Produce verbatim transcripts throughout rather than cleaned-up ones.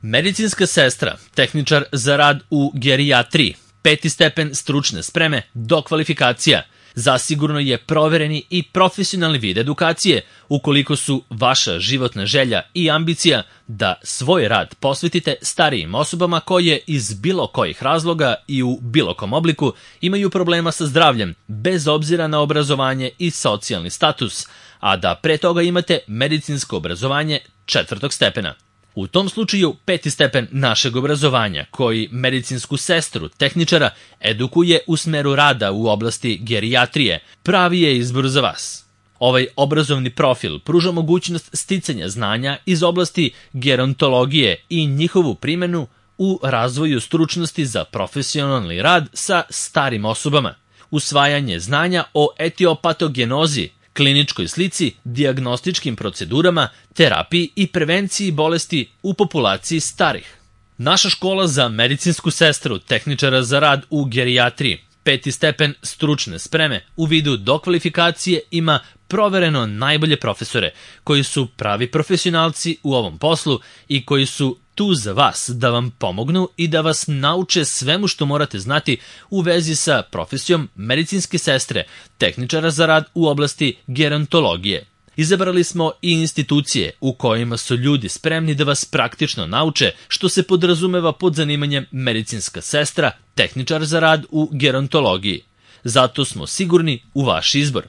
Medicinska sestra, tehničar za rad u gerijatriji, peti stepen stručne spreme, dokvalifikacija, zasigurno je provereni i profesionalni vid edukacije ukoliko su vaša životna želja i ambicija da svoj rad posvetite starijim osobama koje iz bilo kojih razloga i u bilo kom obliku imaju problema sa zdravljem, bez obzira na obrazovanje i socijalni status, a da pre toga imate medicinsko obrazovanje četvrtog stepena. U tom slučaju peti stepen našeg obrazovanja, koji medicinsku sestru, tehničara, edukuje u smeru rada u oblasti gerijatrije, pravi je izbor za vas. Ovaj obrazovni profil pruža mogućnost sticanja znanja iz oblasti gerontologije i njihovu primenu u razvoju stručnosti za profesionalni rad sa starim osobama, usvajanje znanja o etiopatogenozi, kliničkoj slici, dijagnostičkim procedurama, terapiji i prevenciji bolesti u populaciji starih. Naša škola za medicinsku sestru, tehničara za rad u gerijatriji, peti stepen stručne spreme u vidu dokvalifikacije ima provereno najbolje profesore, koji su pravi profesionalci u ovom poslu i koji su tu za vas da vam pomognu i da vas nauče svemu što morate znati u vezi sa profesijom medicinske sestre, tehničara za rad u oblasti gerontologije. Izabrali smo i institucije u kojima su ljudi spremni da vas praktično nauče što se podrazumeva pod zanimanjem medicinska sestra, tehničar za rad u gerontologiji. Zato smo sigurni u vaš izbor.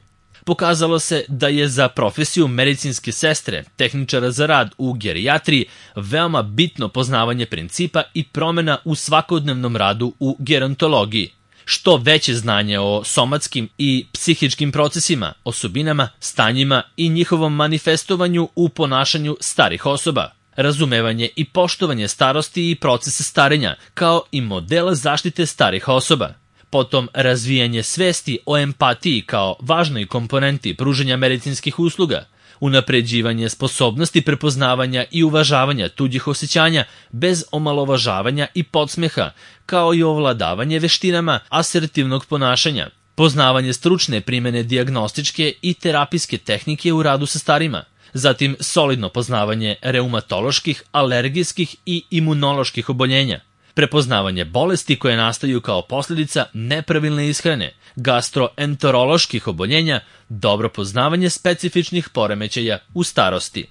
Pokazalo se da je za profesiju medicinske sestre, tehničara za rad u gerijatriji, veoma bitno poznavanje principa i promena u svakodnevnom radu u gerontologiji. Što veće znanje o somatskim i psihičkim procesima, osobinama, stanjima i njihovom manifestovanju u ponašanju starih osoba, razumevanje i poštovanje starosti i procese starenja, kao i modela zaštite starih osoba. Potom razvijanje svesti o empatiji kao važnoj komponenti pružanja medicinskih usluga, unapređivanje sposobnosti prepoznavanja i uvažavanja tuđih osjećanja bez omalovažavanja i podsmeha, kao i ovladavanje veštinama asertivnog ponašanja, poznavanje stručne primene dijagnostičke i terapijske tehnike u radu sa starima, zatim solidno poznavanje reumatoloških, alergijskih i imunoloških oboljenja, prepoznavanje bolesti koje nastaju kao posljedica nepravilne ishrane, gastroenteroloških oboljenja, dobro poznavanje specifičnih poremećaja u starosti.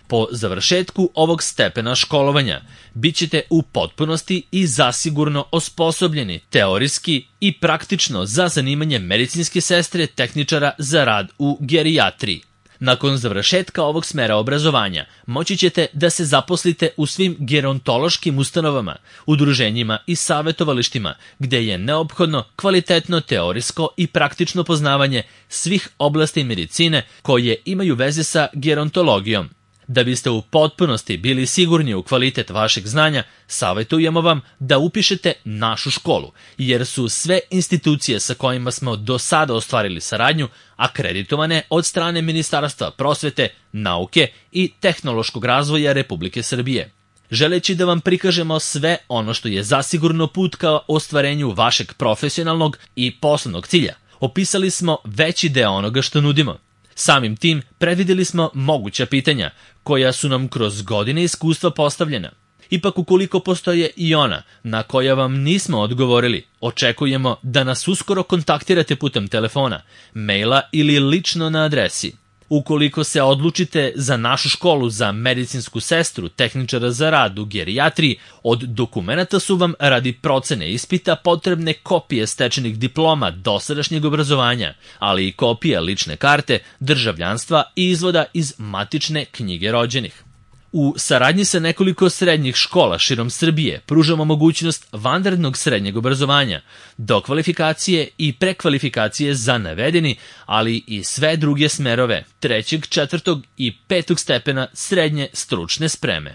Po završetku ovog stepena školovanja bit ćete u potpunosti i zasigurno osposobljeni teorijski i praktično za zanimanje medicinske sestre, tehničara za rad u gerijatriji. Nakon završetka ovog smera obrazovanja moći ćete da se zaposlite u svim gerontološkim ustanovama, udruženjima i savjetovalištima gdje je neophodno kvalitetno teorijsko i praktično poznavanje svih oblasti medicine koje imaju veze sa gerontologijom. Da biste u potpunosti bili sigurni u kvalitet vašeg znanja, savjetujemo vam da upišete našu školu, jer su sve institucije sa kojima smo do sada ostvarili saradnju akreditovane od strane Ministarstva prosvete, nauke i tehnološkog razvoja Republike Srbije. Želeći da vam prikažemo sve ono što je zasigurno put ka ostvarenju vašeg profesionalnog i poslovnog cilja, opisali smo veći deo onoga što nudimo. Samim tim predvidjeli smo moguća pitanja koja su nam kroz godine iskustva postavljena. Ipak ukoliko postoje i ona na koja vam nismo odgovorili, očekujemo da nas uskoro kontaktirate putem telefona, maila ili lično na adresi. Ukoliko se odlučite za našu školu za medicinsku sestru, tehničara za rad u gerijatriji, od dokumenata su vam radi procene ispita potrebne kopije stečenih diploma dosadašnjeg obrazovanja, ali i kopija lične karte, državljanstva i izvoda iz matične knjige rođenih. U saradnji sa nekoliko srednjih škola širom Srbije pružamo mogućnost vanrednog srednjeg obrazovanja, dokvalifikacije i prekvalifikacije za navedeni, ali i sve druge smerove trećeg, četvrtog i petog stepena srednje stručne spreme.